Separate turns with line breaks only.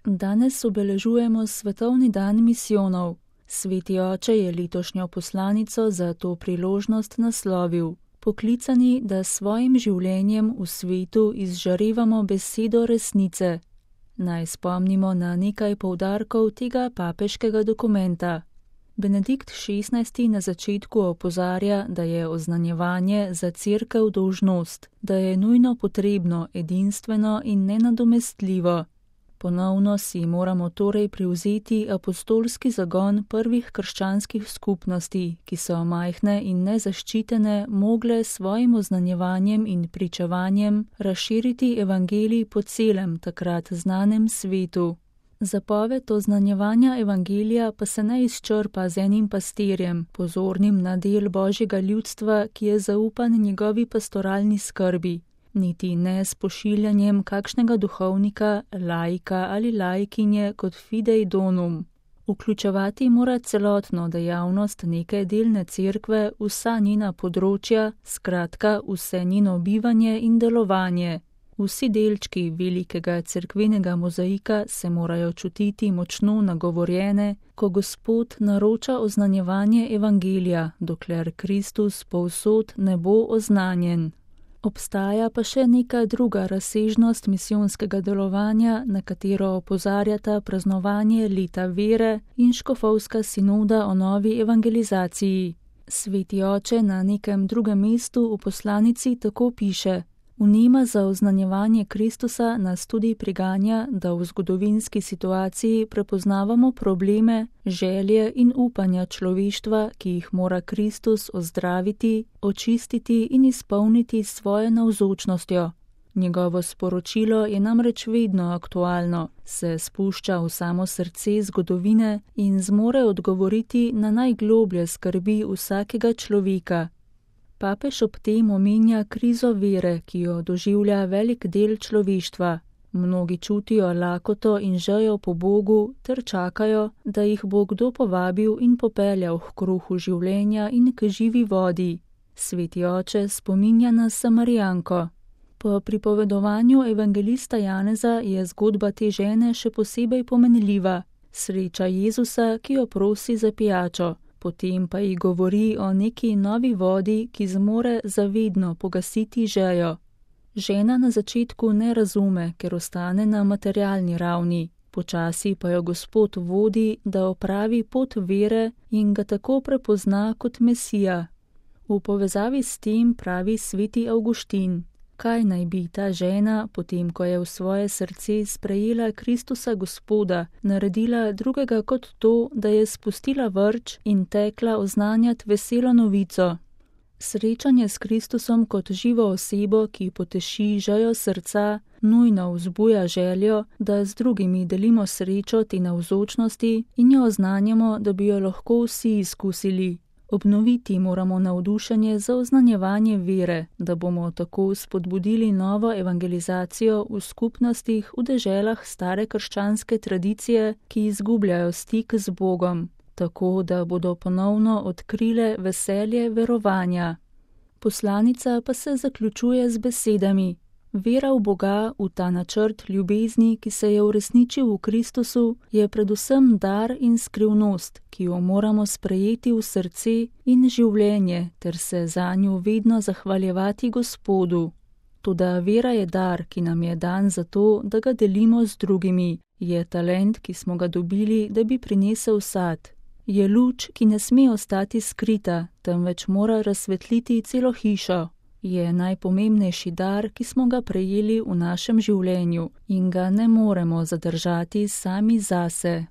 Danes obeležujemo Svetovni dan misijonov. Sveti oče je letošnjo poslanico za to priložnost naslovil: poklicani, da s svojim življenjem v svetu izžarevamo besedo resnice. Naj spomnimo na nekaj poudarkov tega papeškega dokumenta. Benedikt XVI. Na začetku opozarja, da je oznanjevanje za cerkev dolžnost, da je nujno potrebno, edinstveno in nenadomestljivo. Ponovno si moramo torej privzeti apostolski zagon prvih krščanskih skupnosti, ki so majhne in nezaščitene mogle s svojim oznanjevanjem in pričevanjem razširiti evangelij po celem takrat znanem svetu. Zapoved oznanjevanja evangelija pa se ne izčrpa z enim pastirjem, pozornim na del Božjega ljudstva, ki je zaupan njegovi pastoralni skrbi, niti ne s pošiljanjem kakšnega duhovnika, laika ali laikinje kot fidei donum. Vključevati mora celotno dejavnost neke delne cerkve, vsa njena področja, skratka vse njeno bivanje in delovanje. Vsi delčki velikega cerkvenega mozaika se morajo čutiti močno nagovorjene, ko Gospod naroča oznanjevanje evangelija, dokler Kristus povsod ne bo oznanjen. Obstaja pa še neka druga razsežnost misijonskega delovanja, na katero opozarjata praznovanje leta vere in škofovska sinoda o novi evangelizaciji. Sveti oče na nekem drugem mestu v poslanici tako piše: vnema za oznanjevanje Kristusa nas tudi priganja, da v zgodovinski situaciji prepoznavamo probleme, želje in upanja človeštva, ki jih mora Kristus ozdraviti, očistiti in izpolniti s svojo navzočnostjo. Njegovo sporočilo je namreč vedno aktualno, se spušča v samo srce zgodovine in zmore odgovoriti na najgloblje skrbi vsakega človeka. Papež ob tem omenja krizo vere, ki jo doživlja velik del človeštva. Mnogi čutijo lakoto in žejo po Bogu ter čakajo, da jih bo kdo povabil in popeljal k kruhu življenja in k živi vodi. Sveti oče spominja na Samarijanko. Po pripovedovanju evangelista Janeza je zgodba te žene še posebej pomenljiva. Sreča Jezusa, ki jo prosi za pijačo. Potem pa ji govori o neki novi vodi, ki zmore zavedno pogasiti žejo. Žena na začetku ne razume, ker ostane na materialni ravni. Počasi pa jo Gospod vodi, da opravi pot vere in ga tako prepozna kot Mesija. V povezavi s tem pravi sveti Avguštin: kaj naj bi ta žena, potem ko je v svoje srce sprejela Kristusa Gospoda, naredila drugega kot to, da je spustila vrč in tekla oznanjati veselo novico? Srečanje s Kristusom kot živo osebo, ki poteši žejo srca, nujno vzbuja željo, da z drugimi delimo srečo te navzočnosti in jo oznanjamo, da bi jo lahko vsi izkusili. Obnoviti moramo navdušenje za oznanjevanje vere, da bomo tako spodbudili novo evangelizacijo v skupnostih v deželah stare krščanske tradicije, ki izgubljajo stik z Bogom, tako da bodo ponovno odkrile veselje verovanja. Poslanica pa se zaključuje z besedami: vera v Boga, v ta načrt ljubezni, ki se je uresničil v Kristusu, je predvsem dar in skrivnost, ki jo moramo sprejeti v srce in življenje ter se zanju vedno zahvaljevati Gospodu. Toda vera je dar, ki nam je dan zato, da ga delimo z drugimi. Je talent, ki smo ga dobili, da bi prinesel sad. Je luč, ki ne sme ostati skrita, temveč mora razsvetliti celo hišo. Je najpomembnejši dar, ki smo ga prejeli v našem življenju in ga ne moremo zadržati sami zase.